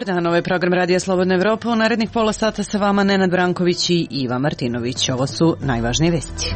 Dan, ovaj program Radija Slobodna Evropa. U narednih pola sata sa vama Nenad Branković i Iva Martinović. Ovo su najvažnije vesti.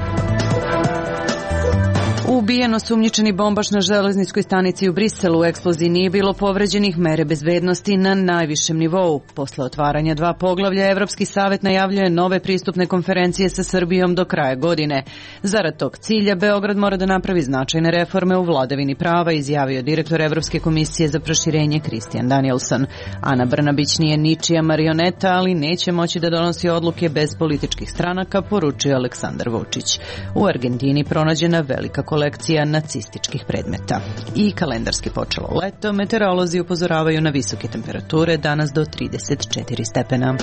Ubijen osumnjičeni bombaš na železničkoj stanici u Briselu. U eksploziji nije bilo povređenih, mere bezbednosti na najvišem nivou. Posle otvaranja 2 poglavlja, Evropski savet najavljuje nove pristupne konferencije sa Srbijom do kraja godine. Zarad tog cilja, Beograd mora da napravi značajne reforme u vladavini prava, izjavio direktor Evropske komisije za proširenje Christian Danielson. Ana Brnabić nije ničija marioneta, ali neće moći da donosi odluke bez političkih stranaka, poručio Aleksandar Vučić. U Argentini pronađena velika kolekcija nacističkih predmeta. I kalendarski počelo leto, meteorolozi upozoravaju na visoke temperature, danas do 34 stepena.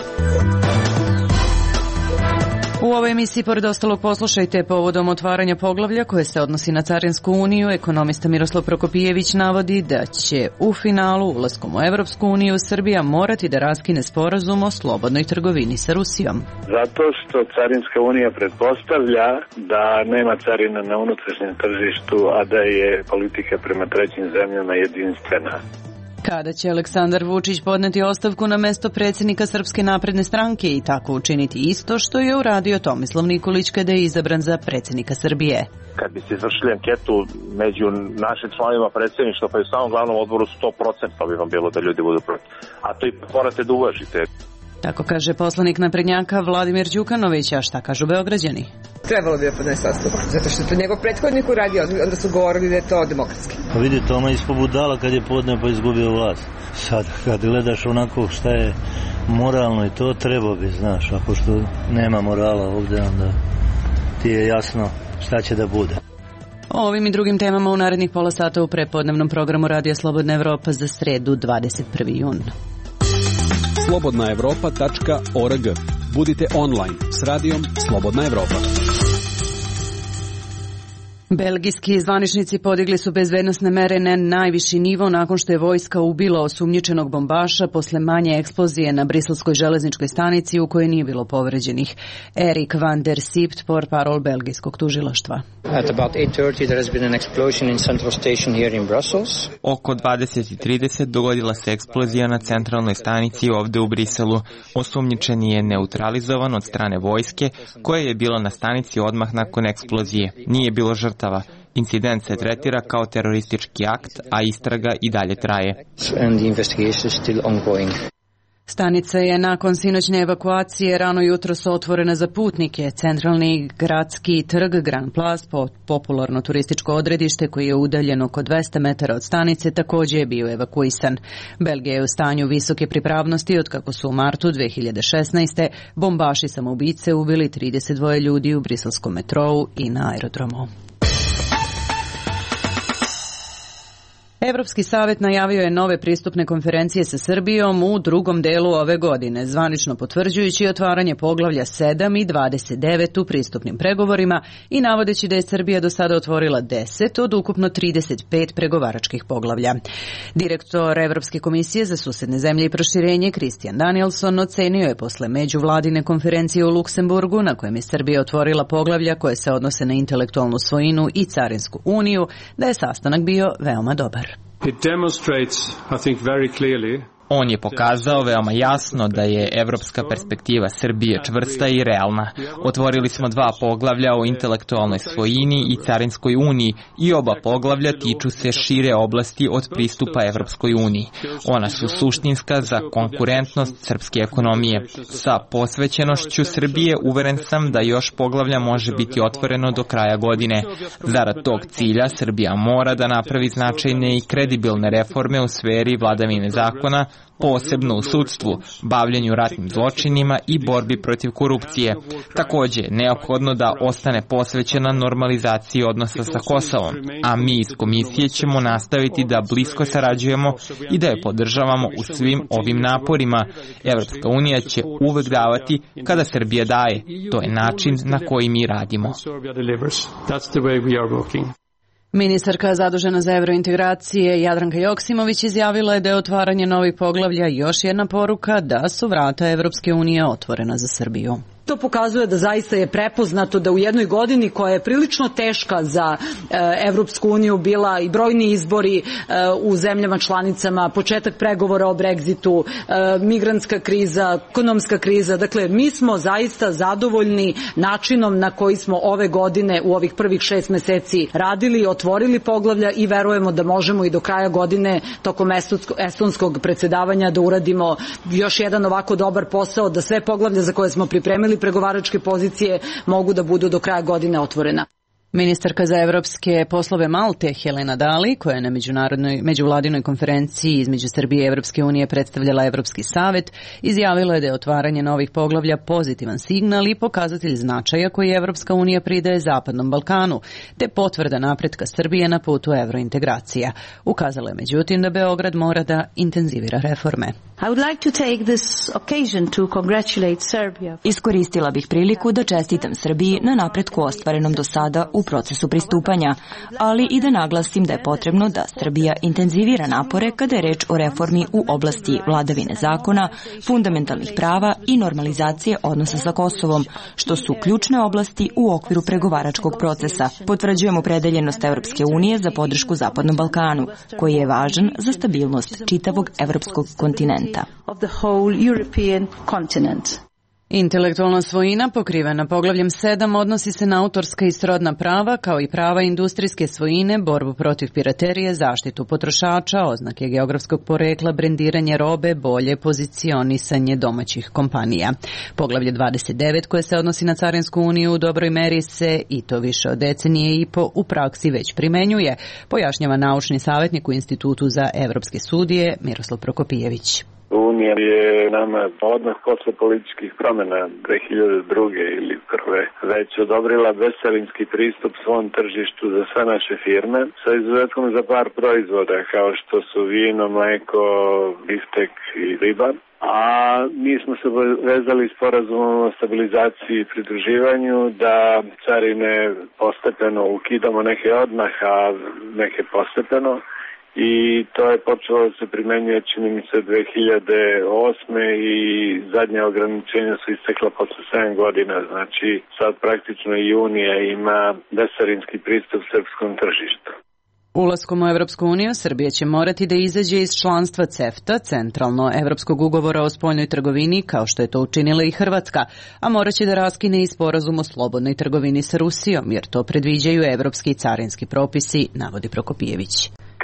U ovoj emisiji, pored ostalog, poslušajte povodom otvaranja poglavlja koje se odnosi na Carinsku uniju. Ekonomista Miroslav Prokopijević navodi da će u finalu ulaskom u Evropsku uniju Srbija morati da raskine sporazum o slobodnoj trgovini sa Rusijom. Zato što Carinska unija pretpostavlja da nema carina na unutrašnjem tržištu, a da je politika prema trećim zemljama jedinstvena. Kada će Aleksandar Vučić podneti ostavku na mesto predsjednika Srpske napredne stranke i tako učiniti isto što je uradio Tomislav Nikolić kada je izabran za predsjednika Srbije? Kad bi se izvršili anketu među našim članovima predsjedništva pa i u samom glavnom odboru 100% bi vam bilo da ljudi budu protiv. A to i morate da uvažite. Tako kaže poslanik naprednjaka Vladimir Đukanović, a šta kažu Beograđani? Trebalo bi da podnese ostavku, zato što je to njegov prethodnik uradio, onda su govorili da je to demokratski. Pa vidi, Toma ispod budala kad je podneo pa izgubio vlast. Sad kad gledaš onako šta je moralno i to treba bi, znaš, a pošto nema morala ovdje, onda ti je jasno šta će da bude. O ovim i drugim temama u narednih pola sata u prepodnevnom programu Radija Slobodna Evropa za sredu 21. jun. slobodnaevropa.org. Budite online s radijom Slobodna Evropa. Belgijski zvaničnici podigli su bezbednosne mere na najviši nivo nakon što je vojska ubila osumnjičenog bombaša posle manje eksplozije na briselskoj železničkoj stanici u kojoj nije bilo povređenih. Erik van der Siept, portparol belgijskog tužilaštva. At about 8:30 there has been an explosion in Central Station here in Brussels. Oko 20:30 dogodila se eksplozija na centralnoj stanici ovde u Briselu. Osumnjičeni je neutralizovan od strane vojske koja je bila na stanici odmah nakon eksplozije. Nije bilo žrtava. Incident se tretira kao teroristički akt, a istraga i dalje traje. Stanica je nakon sinoćne evakuacije rano jutros otvorena za putnike. Centralni gradski trg Grand Place, popularno turističko odredište koji je udaljen oko 200 metara od stanice, također je bio evakuisan. Belgija je u stanju visoke pripravnosti od kako su u martu 2016. bombaši samoubice ubili 32 ljudi u briselskom metrou i na aerodromu. Evropski savet najavio je nove pristupne konferencije sa Srbijom u drugom delu ove godine, zvanično potvrđujući otvaranje poglavlja 7 i 29 u pristupnim pregovorima i navodeći da je Srbija do sada otvorila 10 od ukupno 35 pregovaračkih poglavlja. Direktor Evropske komisije za susedne zemlje i proširenje Christian Danielson ocenio je posle međuvladine konferencije u Luksemburgu, na kojem je Srbija otvorila poglavlja koje se odnose na intelektualnu svojinu i Carinsku uniju, da je sastanak bio veoma dobar. It demonstrates, I think, very clearly. On je pokazao veoma jasno da je evropska perspektiva Srbije čvrsta i realna. Otvorili smo 2 poglavlja o intelektualnoj svojini i Carinskoj uniji i oba poglavlja tiču se šire oblasti od pristupa Evropskoj uniji. Ona su suštinska za konkurentnost srpske ekonomije. Sa posvećenošću Srbije uveren sam da još poglavlja može biti otvoreno do kraja godine. Zarad tog cilja Srbija mora da napravi značajne i kredibilne reforme u sferi vladavine zakona, posebno u sudstvu, bavljenju ratnim zločinima i borbi protiv korupcije. Također, neophodno da ostane posvećena normalizaciji odnosa sa Kosovom, a mi iz komisije ćemo nastaviti da blisko sarađujemo i da je podržavamo u svim ovim naporima. Evropska unija će uvek davati kada Srbija daje. To je način na koji mi radimo. Ministarka zadužena za evrointegracije Jadranka Joksimović izjavila je da je otvaranje novih poglavlja još jedna poruka da su vrata Evropske unije otvorena za Srbiju. To pokazuje da zaista je prepoznato da u jednoj godini koja je prilično teška za Evropsku uniju bila i brojni izbori u zemljama članicama, početak pregovora o Brexitu, migrantska kriza, ekonomska kriza. Dakle, mi smo zaista zadovoljni načinom na koji smo ove godine u ovih prvih 6 meseci radili, otvorili poglavlja i verujemo da možemo i do kraja godine tokom estonskog predsjedavanja da uradimo još jedan ovako dobar posao, da sve poglavlja za koje smo pripremili pregovaračke pozicije mogu da budu do kraja godine otvorena. Ministarka za evropske poslove Malte Helena Dali, koja je na međuvladinoj konferenciji između Srbije i Evropske unije predstavljala Evropski savet, izjavila je da je otvaranje novih poglavlja pozitivan signal i pokazatelj značaja koji Evropska unija pridaje Zapadnom Balkanu, te potvrda napretka Srbije na putu evrointegracija. Ukazala je međutim da Beograd mora da intenzivira reforme. Iskoristila bih priliku da čestitam Srbiji na napretku ostvarenom do sada u procesu pristupanja, ali i da naglasim da je potrebno da Srbija intenzivira napore kada je reč o reformi u oblasti vladavine zakona, fundamentalnih prava i normalizacije odnosa sa Kosovom, što su ključne oblasti u okviru pregovaračkog procesa. Potvrđujemo opredeljenost Evropske unije za podršku Zapadnom Balkanu, koji je važan za stabilnost čitavog evropskog kontinenta. Intelektualna svojina pokrivena poglavljem 7 odnosi se na autorska i srodna prava kao i prava industrijske svojine, borbu protiv piraterije, zaštitu potrošača, oznake geografskog porekla, brendiranje robe, bolje pozicionisanje domaćih kompanija. Poglavlje 29 koje se odnosi na Carinsku uniju u dobroj meri se, i to više od decenije i po, u praksi već primenjuje, pojašnjava naučni savjetnik u Institutu za evropske studije Miroslav Prokopijević. Unija je nama odmah posle političkih promjena 2002. ili prve već odobrila bescarinski pristup svom tržištu za sve naše firme sa izuzetkom za par proizvoda kao što su vino, mleko, biftek i riba. A mi smo se vezali sporazumom o stabilizaciji i pridruživanju da carine postepeno ukidamo, neke odmah, a neke postepeno. I to je počelo da se primenjuje, čini mi se, 2008. i zadnje ograničenja su istekla posle 7 godina. Znači, sad praktično i Unija ima bescarinski pristup srpskom tržištu. Ulaskom u Evropsku uniju Srbija će morati da izađe iz članstva CEFTA, centralno Evropskog ugovora o spoljnoj trgovini, kao što je to učinila i Hrvatska, a moraće da raskine i sporazum o slobodnoj trgovini sa Rusijom, jer to predviđaju evropski carinski propisi, navodi Prokopijević.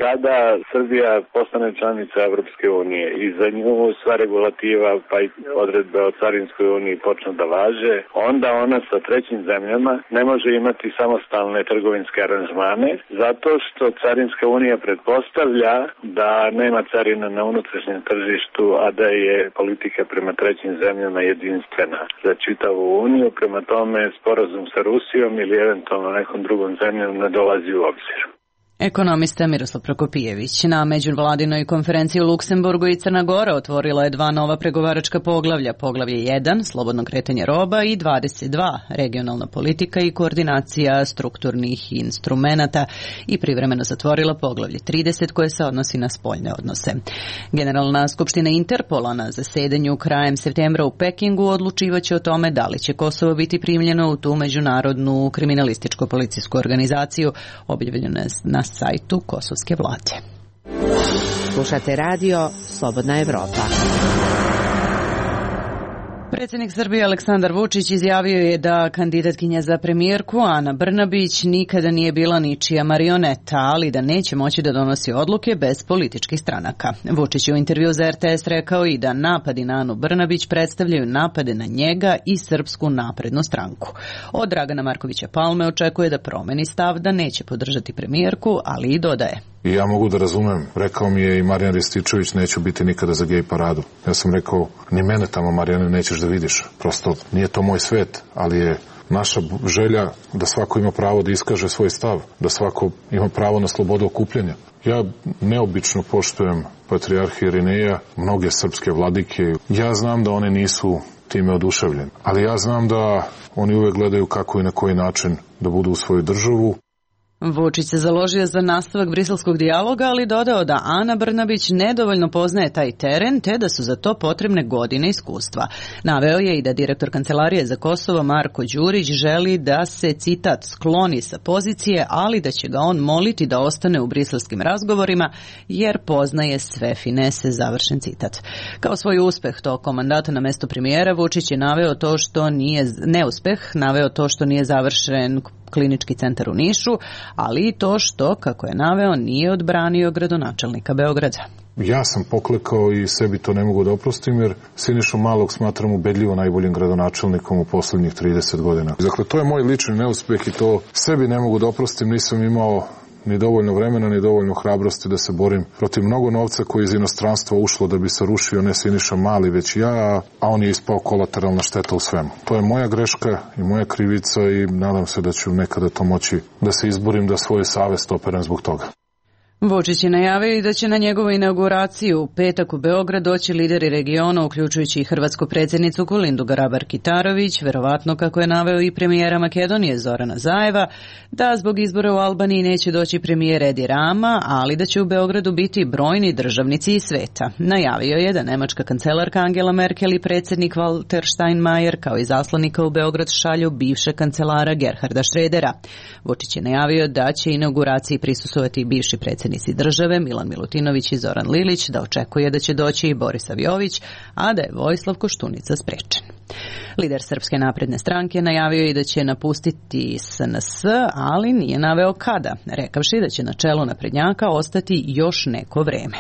Kada Srbija postane članica Evropske unije i za nju sva regulativa pa i odredbe o Carinskoj uniji počnu da važe, onda ona sa trećim zemljama ne može imati samostalne trgovinske aranžmane, zato što Carinska unija pretpostavlja da nema carina na unutrašnjem tržištu, a da je politika prema trećim zemljama jedinstvena za čitavu uniju. Prema tome, sporazum sa Rusijom ili eventualno nekom drugom zemljom ne dolazi u obzir. Ekonomista Miroslav Prokopijević. Na međuvladinoj konferenciji u Luksemburgu i Crna Gora otvorila je 2 nova pregovaračka poglavlja. Poglavlje 1, slobodno kretanje roba, i 22, regionalna politika i koordinacija strukturnih instrumenata, i privremeno zatvorila poglavlje 30 koje se odnosi na spoljne odnose. Generalna skupština Interpola na zasedanju krajem septembra u Pekingu odlučivaće o tome da li će Kosovo biti primljeno u tu međunarodnu kriminalističko-policijsku organizaciju, objavljeno na sajtu kosovske vlade. Slušate radio Slobodna Evropa. Predsjednik Srbije Aleksandar Vučić izjavio je da kandidatkinja za premijerku Ana Brnabić nikada nije bila ničija marioneta, ali da neće moći da donosi odluke bez političkih stranaka. Vučić je u intervju za RTS rekao i da napadi na Anu Brnabić predstavljaju napade na njega i Srpsku naprednu stranku. Od Dragana Markovića Palme očekuje da promeni stav, da neće podržati premijerku, ali i dodaje: I ja mogu da razumem, rekao mi je i Marijan Rističević, neću biti nikada za gej paradu. Ja sam rekao, ni mene tamo, Marijane, nećeš da vidiš. Prosto nije to moj svet, ali je naša želja da svako ima pravo da iskaže svoj stav, da svako ima pravo na slobodu okupljanja. Ja neobično poštujem patrijarha Irineja, mnoge srpske vladike. Ja znam da one nisu time oduševljeni, ali ja znam da oni uvek gledaju kako i na koji način da budu u svoju državu. Vučić se založio za nastavak briselskog dijaloga, ali dodao da Ana Brnabić nedovoljno poznaje taj teren, te da su za to potrebne godine iskustva. Naveo je i da direktor Kancelarije za Kosovo Marko Đurić želi da se, citat, skloni sa pozicije, ali da će ga on moliti da ostane u briselskim razgovorima, jer poznaje sve finese, završen citat. Kao svoj uspeh tokom mandata na mesto premijera, Vučić je naveo to što nije, neuspeh, naveo to što nije završen klinički centar u Nišu, ali i to što, kako je naveo, nije odbranio gradonačelnika Beograda. Ja sam poklekao i sebi to ne mogu da oprostim, jer Sinišu Malog smatram ubedljivo najboljim gradonačelnikom u poslednjih 30 godina. Dakle, to je moj lični neuspeh i to sebi ne mogu da oprostim, nisam imao ni dovoljno vremena, ni dovoljno hrabrosti da se borim protiv mnogo novca koji iz inostranstva ušlo da bi se rušio ne Siniša Mali, već ja, a on je ispao kolateralna šteta u svemu. To je moja greška i moja krivica i nadam se da ću nekada to moći da se izborim, da svoju savest operem zbog toga. Vučić je najavio i da će na njegovu inauguraciju u petak u Beograd doći lideri regiona, uključujući i hrvatsku predsjednicu Kolindu Grabar-Kitarović, verovatno, kako je naveo i premijera Makedonije Zorana Zajeva, da zbog izbora u Albaniji neće doći premijer Edi Rama, ali da će u Beogradu biti brojni državnici iz sveta. Najavio je da nemačka kancelarka Angela Merkel i predsjednik Walter Steinmeier kao i zaslanika u Beograd šalju bivše kancelara Gerharda Schrödera. Vučić je najavio da će inauguraciji prisustvovati i bivši predsjednici države Milan Milutinović i Zoran Lilić, da očekuje da će doći i Borisav Jović, a da je Vojislav Koštunica sprečen. Lider Srpske napredne stranke najavio je da će napustiti SNS, ali nije naveo kada, rekavši da će na čelu naprednjaka ostati još neko vreme.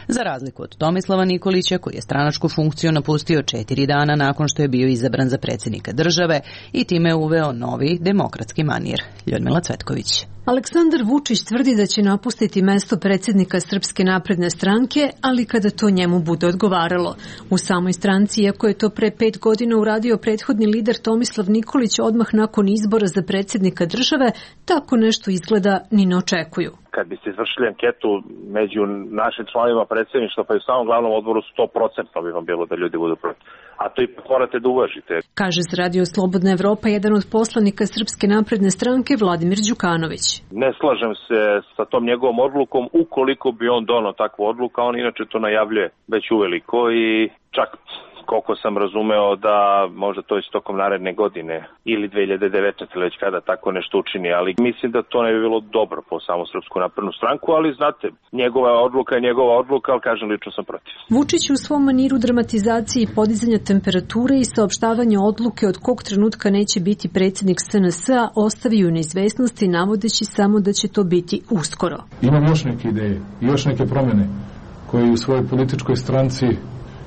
Za razliku od Tomislava Nikolića, koji je stranačku funkciju napustio 4 dana nakon što je bio izabran za predsjednika države i time uveo novi demokratski manir. Ljudmila Cvetković. Aleksandar Vučić tvrdi da će napustiti mesto predsjednika Srpske napredne stranke, ali kada to njemu bude odgovaralo. U samoj stranci, iako je to pre 5 godina uradio prethodni lider Tomislav Nikolić odmah nakon izbora za predsjednika države, tako nešto izgleda ni ne očekuju. Kad biste izvršili anketu među našim članovima predsjedništva, pa i u samom glavnom odboru 100% bi vam bilo da ljudi budu protiv. A to ipak morate da uvažite. Kaže za Radio Slobodna Evropa jedan od poslanika Srpske napredne stranke Vladimir Đukanović. Ne slažem se sa tom njegovom odlukom, ukoliko bi on donao takvu odluku, on inače to najavljuje već uveliko i čak koliko sam razumeo da možda to je tokom naredne godine ili 2019 ili već kada tako nešto učini, ali mislim da to ne bi bilo dobro po samu Srpsku naprednu stranku, ali znate, njegova odluka je njegova odluka, ali kažem, lično sam protiv. Vučić u svom maniru dramatizacije i podizanja temperature i saopštavanja odluke od kog trenutka neće biti predsjednik SNS-a ostavio neizvesnosti, navodeći samo da će to biti uskoro. Imam još neke ideje i još neke promjene koje u svojoj političkoj stranci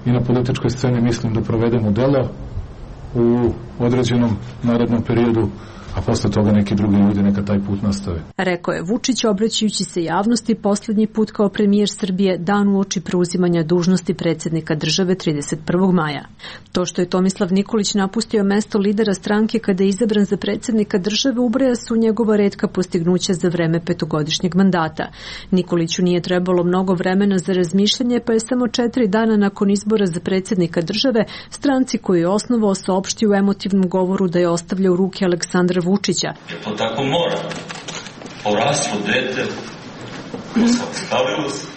i na političkoj sceni mislim da provedemo delo u određenom narednom periodu, a posle toga neki drugi ljudi neka taj put nastave. Rekao je Vučić, obraćajući se javnosti poslednji put kao premijer Srbije dan uoči preuzimanja dužnosti predsjednika države 31. maja. To što je Tomislav Nikolić napustio mesto lidera stranke kada je izabran za predsjednika države ubraja su njegova retka postignuća za vreme 5-godišnjeg mandata. Nikoliću nije trebalo mnogo vremena za razmišljanje, pa je samo 4 dana nakon izbora za predsjednika države stranci koju je osnovao saopštio u emotivnom govoru da je ostavlja u ruke Aleksandra Vučića. To tako mora. Poraslo dete, postavilo se.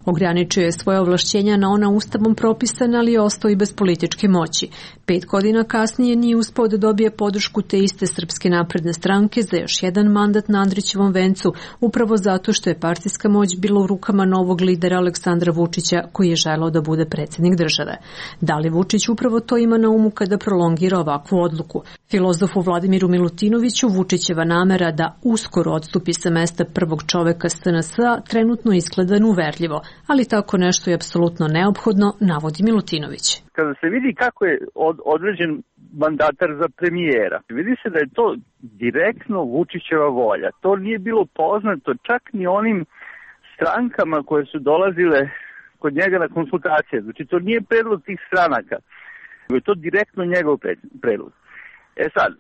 Ograničio je svoje ovlašćenja na ona ustavom propisana, ali je ostao i bez političke moći. 5 godina kasnije nije uspeo da dobije podršku te iste Srpske napredne stranke za još jedan mandat na Andrićevom vencu, upravo zato što je partijska moć bila u rukama novog lidera Aleksandra Vučića, koji je želeo da bude predsjednik države. Da li Vučić upravo to ima na umu kada prolongira ovakvu odluku? Filozofu Vladimiru Milutinoviću Vučićeva namera da uskoro odstupi sa mesta prvog čoveka SNS-a trenutno izgleda uverljivo, ali tako nešto je apsolutno neophodno, navodi Milutinović. Kada se vidi kako je određen mandatar za premijera, vidi se da je to direktno Vučićeva volja. To nije bilo poznato čak ni onim strankama koje su dolazile kod njega na konsultacije. Znači to nije predlog tih stranaka, nego je to direktno njegov predlog. Sad,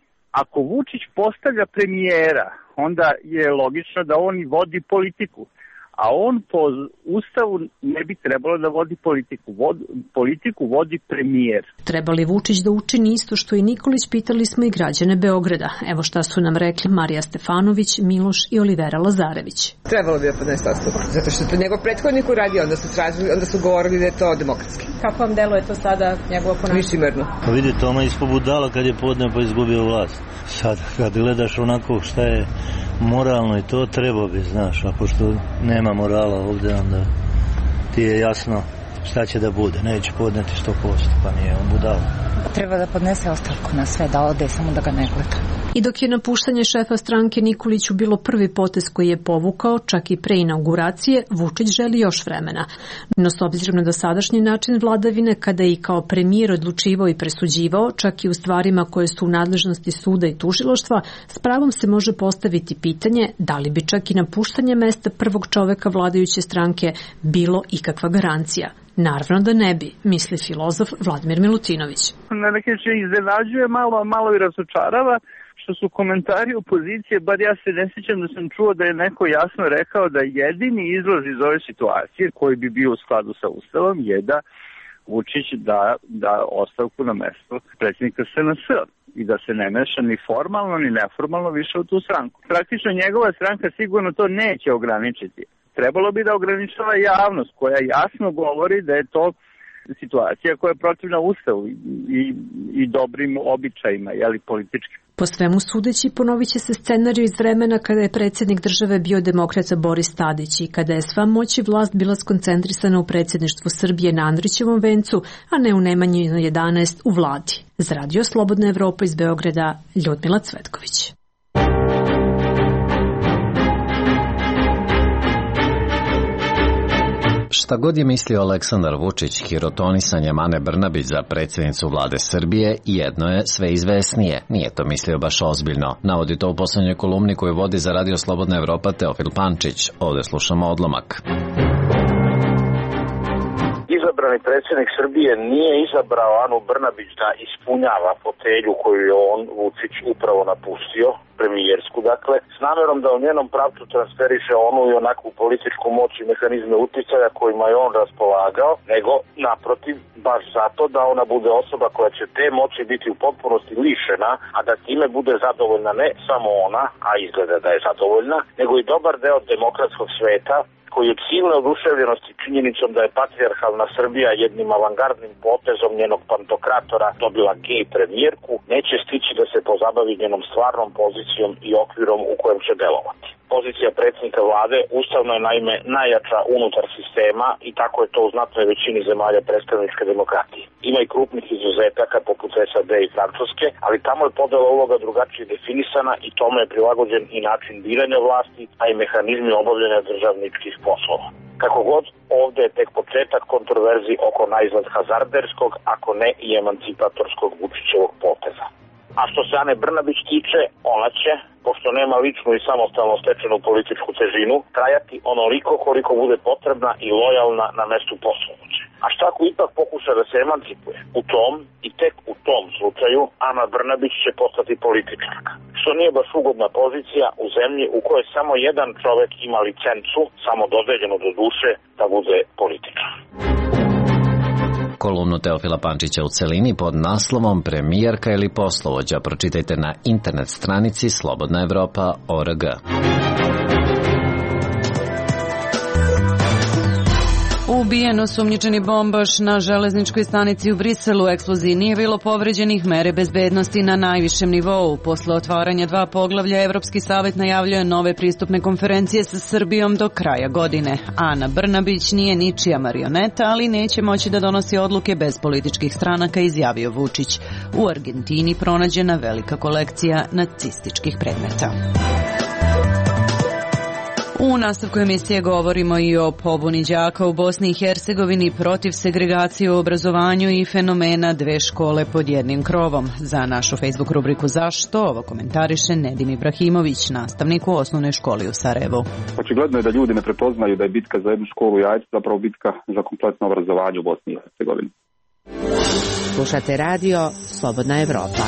ako Vučić postavlja premijera, onda je logično da on i vodi politiku. a on po ustavu ne bi trebalo da vodi politiku. Politiku vodi premijer. Treba li Vučić da učini isto što i Nikolić, pitali smo i građane Beograda. Evo šta su nam rekli Marija Stefanović, Miloš i Olivera Lazarević. Trebalo bi da podnese ostavku, zato što je to njegov prethodnik uradio, onda su govorili da je to demokratski. Kako vam deluje to sada njegovo ponašanje? Licemerno. Pa vidi, Toma ispod budala kad je podneo pa izgubio vlast. Sad kad gledaš onako šta je moralno i to, treba bi, znaš, a pošto nema morala ovde, onda ti je jasno šta će da bude. Neće podneti 100%, pa nije on budala. Treba da podnese ostavku na sve, da ode, samo da ga ne gleda. I dok je napuštanje šefa stranke Nikoliću bilo prvi potez koji je povukao, čak i pre inauguracije, Vučić želi još vremena. No s obzirom na dosadašnji način vladavine, kada je i kao premijer odlučivao i presuđivao, čak i u stvarima koje su u nadležnosti suda i tužilaštva, s pravom se može postaviti pitanje da li bi čak i napuštanje mesta prvog čoveka vladajuće stranke bilo ikakva garancija. Naravno da ne bi, misli filozof Vladimir Milutinović. Na neki način iznenađuje malo i razočarava što su komentari opozicije, bar ja se ne sjećam da sam čuo da je neko jasno rekao da jedini izlaz iz ove situacije koji bi bio u skladu sa Ustavom je da Vučić da ostavku na mesto predsjednika SNS i da se ne meša ni formalno ni neformalno više u tu stranku. Praktično njegova stranka sigurno to neće ograničiti. Trebalo bi da ograničava javnost koja jasno govori da je to situacija koja je protivna Ustavu i dobrim običajima, politički. Po svemu sudeći, ponovit će se scenarij iz vremena kada je predsjednik države bio demokrata Boris Tadić i kada je sva moć i vlast bila skoncentrisana u predsjedništvu Srbije na Andrićevom vencu, a ne u Nemanji 11 u vladi. Za Radio Slobodna Evropa iz Beograda, Ljudmila Cvetković. Šta god je mislio Aleksandar Vučić, hirotonisanjem Ane Brnabić za predsjednicu vlade Srbije, jedno je sve izvesnije. Nije to mislio baš ozbiljno. Navodi to u poslednjoj kolumni koju vodi za Radio Slobodna Evropa Teofil Pančić. Ovde slušamo odlomak. Izabrani predsjednik Srbije nije izabrao Anu Brnabić da ispunjava fotelju koju je on, Vučić, upravo napustio, premijersku, dakle, s namjerom da u njenom pravcu transferiše onu i onakvu političku moć i mehanizme uticaja kojima je on raspolagao, nego, naprotiv, baš zato da ona bude osoba koja će te moći biti u potpunosti lišena, a da time bude zadovoljna ne samo ona, a izgleda da je zadovoljna, nego i dobar deo demokratskog sveta, koji od silne oduševljenosti činjenicom da je patrijarhalna Srbija jednim avangardnim potezom njenog pantokratora dobila gej premijerku, neće stići da se pozabavi njenom stvarnom pozicijom i okvirom u kojem će delovati. Pozicija predsjednika vlade ustavno je naime najjača unutar sistema i tako je to u znatnoj većini zemalja predstavničke demokratije. Ima i krupnih izuzetaka poput SAD i Francuske, ali tamo je podela uloga drugačije definisana i tome je prilagođen i način biranja vlasti, a i mehanizmi obavljanja državničkih poslova. Kako god, ovde je tek početak kontroverzi oko naizgled hazarderskog, ako ne i emancipatorskog Vučićevog poteza. A što se Ane Brnabić tiče, ona će, pošto nema ličnu i samostalno stečenu političku težinu, trajati onoliko koliko bude potrebna i lojalna na mestu poslovođe. A šta ako ipak pokuša da se emancipuje? U tom i tek u tom slučaju Ana Brnabić će postati političarka. Što nije baš ugodna pozicija u zemlji u kojoj samo jedan čovek ima licencu, samo dodeljenu do duše, da bude političar. Kolumnu Teofila Pančića u celini pod naslovom Premijerka ili poslovođa pročitajte na internet stranici slobodnaevropa.org. Ubijen osumnjičeni bombaš na železničkoj stanici u Briselu. U eksploziji nije bilo povređenih, mere bezbednosti na najvišem nivou. Posle otvaranja 2 poglavlja, Evropski savet najavljuje nove pristupne konferencije sa Srbijom do kraja godine. Ana Brnabić nije ničija marioneta, ali neće moći da donosi odluke bez političkih stranaka, izjavio Vučić. U Argentini pronađena velika kolekcija nacističkih predmeta. U nastavku emisije govorimo i o pobuni đaka u Bosni i Hercegovini protiv segregacije u obrazovanju i fenomena 2 škole pod jednim krovom. Za našu Facebook rubriku Zašto? Ovo komentariše Nedim Ibrahimović, nastavnik u osnovnoj školi u Sarajevu. Očigledno je da ljudi ne prepoznaju da je bitka za jednu školu u Jajcu zapravo bitka za kompletno obrazovanje u Bosni i Hercegovini. Slušate radio Slobodna Evropa.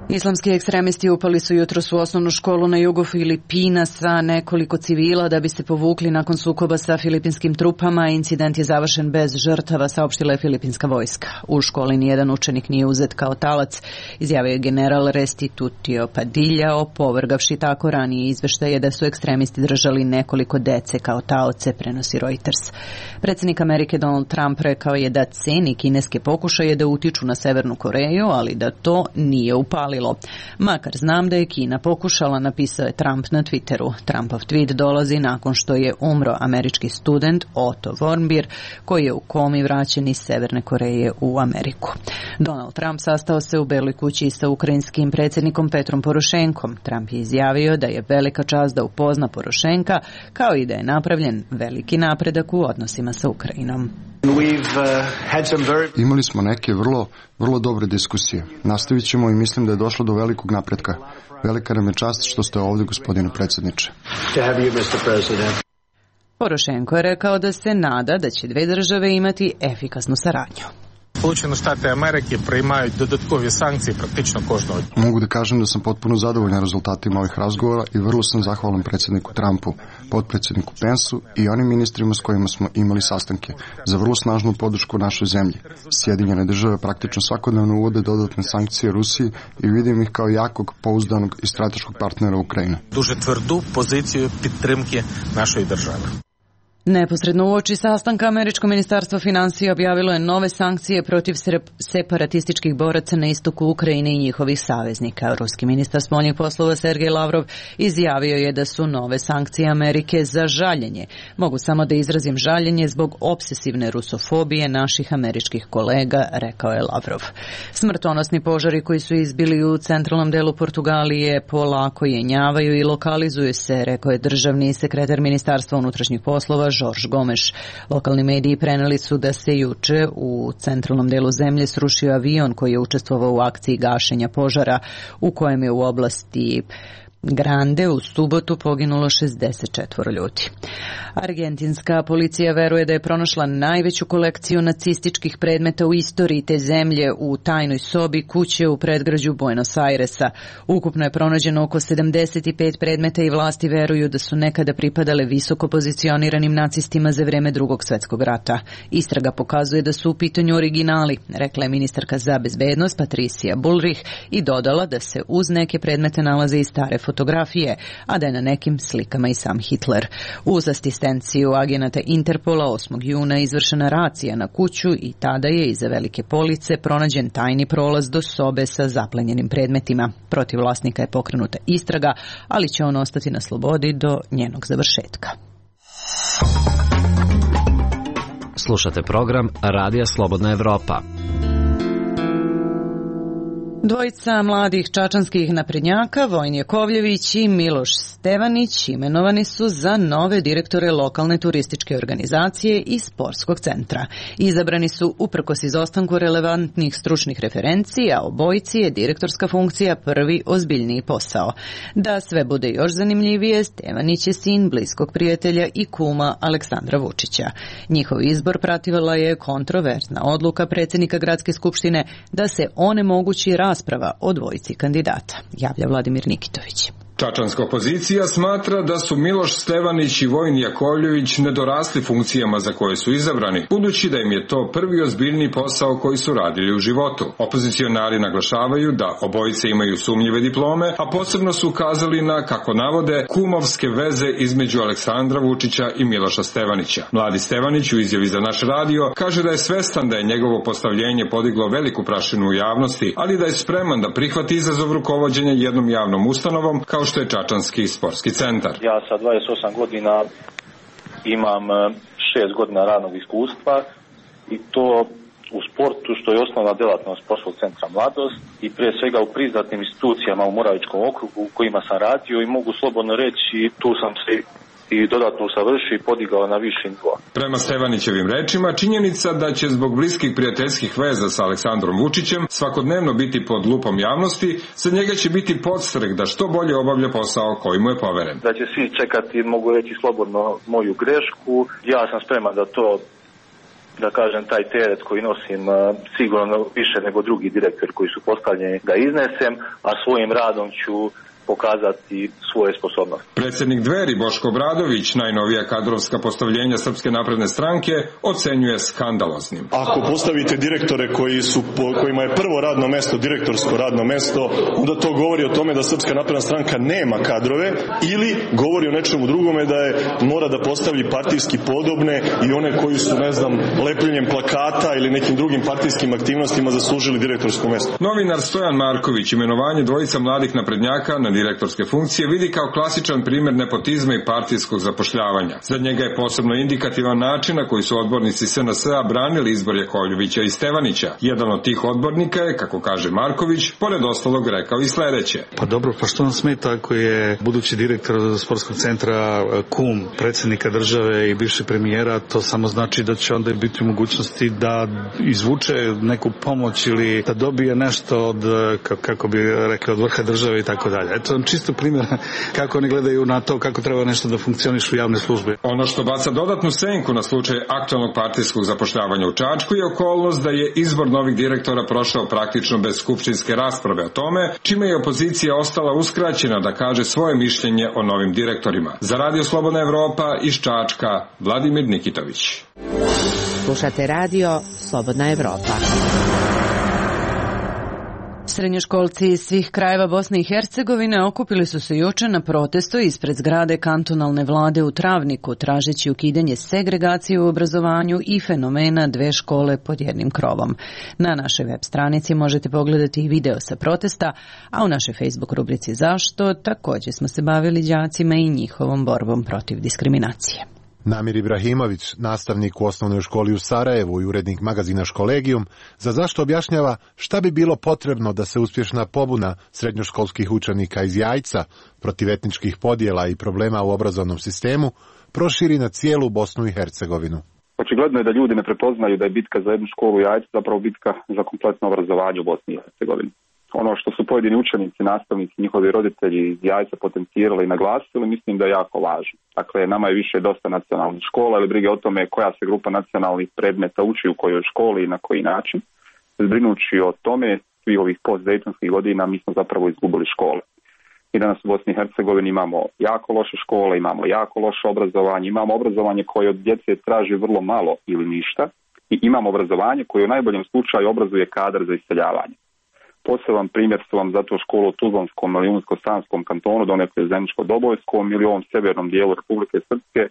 Islamski ekstremisti upali su jutros u osnovnu školu na jugu Filipina sa nekoliko civila da bi se povukli nakon sukoba sa filipinskim trupama. Incident je završen bez žrtava, saopštila je filipinska vojska. U školi nijedan učenik nije uzet kao talac, izjavio je general Restitutio Padilla, opovrgavši tako ranije izveštaje da su ekstremisti držali nekoliko dece kao taoce, prenosi Reuters. Predsjednik Amerike Donald Trump rekao je da ceni kineske pokušaje da utiču na Severnu Koreju, ali da to nije upalilo. Makar znam da je Kina pokušala, napisao je Trump na Twitteru. Trumpov tweet dolazi nakon što je umro američki student Otto Warmbier, koji je u komi vraćen iz Severne Koreje u Ameriku. Donald Trump sastao se u Beloj kući sa ukrajinskim predsjednikom Petrom Porošenkom. Trump je izjavio da je velika čast da upozna Porošenka, kao i da je napravljen veliki napredak u odnosima sa Ukrajinom. Imali smo neke vrlo dobre diskusije. Nastavit ćemo i mislim da je došlo do velikog napretka. Velika nam je čast što ste ovdje, gospodine predsjedniče. Porošenko je rekao da se nada da će dve države imati efikasnu saradnju. Сполучені Штати Америки приймають додаткові санкції практично кожного дня. Mogu da kažem da sam potpuno zadovoljan rezultatima ovih razgovora i vrlo sam zahvalan predsjedniku Trumpu, potpredsjedniku Pensu i onim ministrima s kojima smo imali sastanke za vrlo snažnu podršku našoj zemlji. Sjedinjene države praktično svakodnevno uvode dodatne sankcije Rusiji i vidim ih kao jakog, pouzdanog i strateškog partnera Ukrajine. Дуже тверду позицію підтримки нашої держави. Neposredno uoči sastanka američko ministarstvo financija objavilo je nove sankcije protiv separatističkih boraca na istoku Ukrajine i njihovih saveznika. Ruski ministar spoljnih poslova Sergej Lavrov izjavio je da su nove sankcije Amerike za žaljenje. Mogu samo da izrazim žaljenje zbog obsesivne rusofobije naših američkih kolega, rekao je Lavrov. Smrtonosni požari koji su izbili u centralnom delu Portugalije polako jenjavaju i lokalizuju se, rekao je državni sekretar ministarstva unutrašnjih poslova Jorge Gomes. Lokalni mediji preneli su da se juče u centralnom delu zemlje srušio avion koji je učestvovao u akciji gašenja požara u kojem je u oblasti Grande u subotu poginulo 64 ljudi. Argentinska policija veruje da je pronašla najveću kolekciju nacističkih predmeta u istoriji te zemlje u tajnoj sobi kuće u predgrađu Buenos Airesa. Ukupno je pronađeno oko 75 predmeta i vlasti veruju da su nekada pripadale visoko pozicioniranim nacistima za vreme Drugog svjetskog rata. Istraga pokazuje da su u pitanju originali, rekla je ministarka za bezbednost Patricia Bullrich i dodala da se uz neke predmete nalaze i stare fotografije, a da je na nekim slikama i sam Hitler. Uz asistenciju agenata Interpola 8. juna izvršena racija na kuću i tada je iza velike police pronađen tajni prolaz do sobe sa zaplenjenim predmetima. Protiv vlasnika je pokrenuta istraga, ali će on ostati na slobodi do njenog završetka. Slušate program Radija Slobodna Evropa. Dvojica mladih čačanskih naprednjaka, Vojin Jakovljević i Miloš Stevanić, imenovani su za nove direktore lokalne turističke organizacije i sportskog centra. Izabrani su uprkos izostanku relevantnih stručnih referenci, a obojici je direktorska funkcija prvi ozbiljniji posao. Da sve bude još zanimljivije, Stevanić je sin bliskog prijatelja i kuma Aleksandra Vučića. Njihov izbor pratila je kontroverzna odluka predsjednika Gradske skupštine da se onemogući rasprava o dvojici kandidata, javlja Vladimir Nikitović. Čačanska opozicija smatra da su Miloš Stevanić i Vojin Jakovljević nedorasli funkcijama za koje su izabrani, budući da im je to prvi ozbiljni posao koji su radili u životu. Opozicionari naglašavaju da obojice imaju sumnjive diplome, a posebno su ukazali na, kako navode, kumovske veze između Aleksandra Vučića i Miloša Stevanića. Mladi Stevanić u izjavi za naš radio kaže da je svestan da je njegovo postavljenje podiglo veliku prašinu u javnosti, ali da je spreman da prihvati izazov rukovođenja jednom javnom ustanovom kao što je Čačanski sportski centar. Ja sa 28 godina imam 6 godina radnog iskustva i to u sportu, što je osnovna delatnost sportskog centra Mladost i prije svega u priznatnim institucijama u Moravičkom okrugu u kojima sam radio i mogu slobodno reći tu sam se i dodatno usavršio i podigao na viši nivo. Prema Stevanićevim rečima, činjenica da će zbog bliskih prijateljskih veza sa Aleksandrom Vučićem svakodnevno biti pod lupom javnosti, za njega će biti podstrek da što bolje obavlja posao koji mu je poveren. Da će svi čekati, mogu reći slobodno, moju grešku. Ja sam spreman da to da kažem, taj teret koji nosim sigurno više nego drugi direktori koji su postavljeni da iznesem, a svojim radom ću pokazati svoje sposobnosti. Predsjednik Dveri Boško Obradović najnovija kadrovska postavljenja Srpske napredne stranke ocenjuje skandaloznim. Ako postavite direktore kojima je prvo radno mesto direktorsko radno mesto, onda to govori o tome da Srpska napredna stranka nema kadrove ili govori o nečemu drugome da je mora da postavi partijski podobne i one koji su, ne znam, lepljenjem plakata ili nekim drugim partijskim aktivnostima zaslužili direktorsko mesto. Novinar Stojan Marković imenovanje dvojica mladih naprednjaka na direktorske funkcije vidi kao klasičan primjer nepotizma i partijskog zapošljavanja. Za njega je posebno indikativan način na koji su odbornici SNS-a branili izbor Jakovljevića i Stevanića. Jedan od tih odbornika je, kako kaže Marković, pored ostalog rekao i sledeće. Pa dobro, pa što vam smeta ako je budući direktor sportskog centra kum predsjednika države i bivše premijera, to samo znači da će onda biti u mogućnosti da izvuče neku pomoć ili da dobije nešto od, kako bi rekli, od vrha države i tako dalje. Eto vam čisto primjer kako oni gledaju na to kako treba nešto da funkcioniše u javne službe. Ono što baca dodatnu senku na slučaj aktualnog partijskog zapošljavanja u Čačku je okolnost da je izbor novih direktora prošao praktično bez skupštinske rasprave o tome, čime je opozicija ostala uskraćena da kaže svoje mišljenje o novim direktorima. Za Radio Slobodna Evropa iz Čačka, Vladimir Nikitović. Slušate Radio Slobodna Evropa. Srednjoškolci iz svih krajeva Bosne i Hercegovine okupili su se juče na protestu ispred zgrade kantonalne vlade u Travniku, tražeći ukidanje segregacije u obrazovanju i fenomena dve škole pod jednim krovom. Na našoj web stranici možete pogledati i video sa protesta, a u našoj Facebook rubrici Zašto također smo se bavili đacima i njihovom borbom protiv diskriminacije. Namir Ibrahimović, nastavnik u osnovnoj školi u Sarajevu i urednik magazina Školegijum, za Zašto objašnjava šta bi bilo potrebno da se uspješna pobuna srednjoškolskih učenika iz Jajca protiv etničkih podjela i problema u obrazovnom sistemu proširi na cijelu Bosnu i Hercegovinu. Očigledno je da ljudi ne prepoznaju da je bitka za jednu školu u Jajcu zapravo bitka za kompletno obrazovanje u Bosni i Hercegovini. Ono što su pojedini učenici, nastavnici, njihovi roditelji iz Jajca potencirali i naglasili, mislim da je jako važno. Dakle, nama je više dosta nacionalnih škola, ali brige o tome koja se grupa nacionalnih predmeta uči u kojoj školi i na koji način. Zbrinući o tome, svih ovih post-dejtonskih godina, mi smo zapravo izgubili škole. I danas u Bosni i Hercegovini imamo jako loše škole, imamo jako loše obrazovanje, imamo obrazovanje koje od djece traži vrlo malo ili ništa i imamo obrazovanje koje u najboljem slučaju obrazuje kadar za iseljavanje. Poseban primjer su vam zato školu u Tuzlanskom ili Unsko-Sanskom kantonu, donekle Zeničko-Dobojskom ili ovom severnom dijelu Republike Srpske,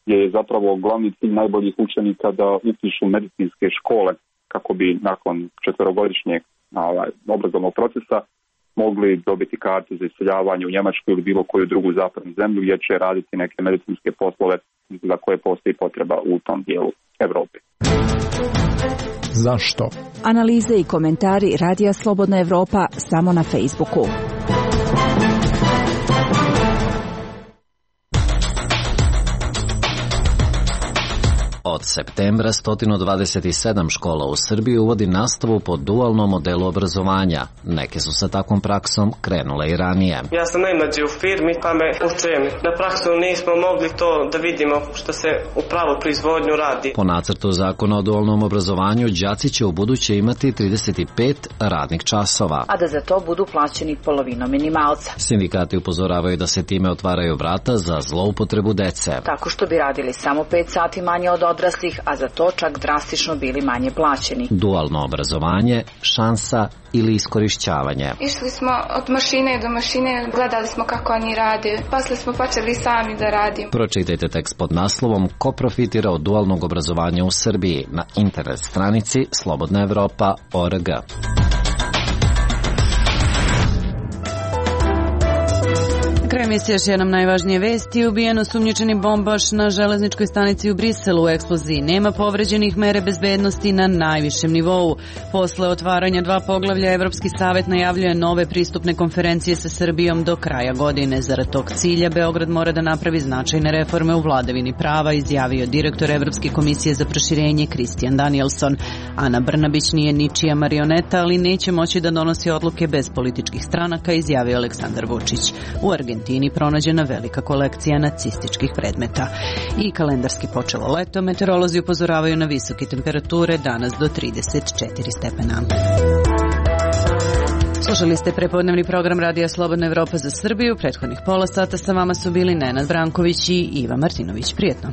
gdje je zapravo glavni cilj najboljih učenika da upišu medicinske škole kako bi nakon 4-godišnjeg obrazovnog procesa mogli dobiti kartu za iseljavanje u Njemačku ili bilo koju drugu zapadnu zemlju gdje će raditi neke medicinske poslove za koje postoji potreba u tom dijelu Evrope. Zašto? Analize i komentari Radija Slobodna Evropa samo na Facebooku. Od septembra 127 škola u Srbiji uvodi nastavu po dualnom modelu obrazovanja. Neke su sa takvom praksom krenule i ranije. Ja sam najmlađi u firmi, pa me učujem. Na praksu nismo mogli to da vidimo što se u pravu proizvodnju radi. Po nacrtu zakona o dualnom obrazovanju, đaci će u buduće imati 35 radnih časova, a da za to budu plaćeni polovinom minimalca. Sindikati upozoravaju da se time otvaraju vrata za zloupotrebu dece. Tako što bi radili samo 5 sati manje od odraslih, a za to čak drastično bili manje plaćeni. Dualno obrazovanje, šansa ili iskorišćavanje. Išli smo od mašine do mašine, gledali smo kako oni rade, posle smo počeli sami da radimo. Pročitajte tekst pod naslovom Ko profitira od dualnog obrazovanja u Srbiji na internet stranici slobodnaevropa.org. Kraj emisije još jednom najvažnije vesti. Ubijen osumnjičeni bombaš na železničkoj stanici u Briselu. U eksploziji nema povređenih, mere bezbednosti na najvišem nivou. Posle otvaranja 2 poglavlja, Evropski savet najavljuje nove pristupne konferencije sa Srbijom do kraja godine. Zarad tog cilja Beograd mora da napravi značajne reforme u vladavini prava, izjavio direktor Evropske komisije za proširenje Kristijan Danielson. Ana Brnabić nije ničija marioneta, ali neće moći da donosi odluke bez političkih stranaka, izjavio Aleksandar Vučić. U Argentini Argentini pronađena velika kolekcija nacističkih predmeta. I kalendarski počelo leto, meteorolozi upozoravaju na visoke temperature, danas do 34 stepena. Slušali ste prepodnevni program Radija Slobodna Evropa za Srbiju. Prethodnih pola sata sa vama su bili Nenad Branković i Iva Martinović. Prijetno.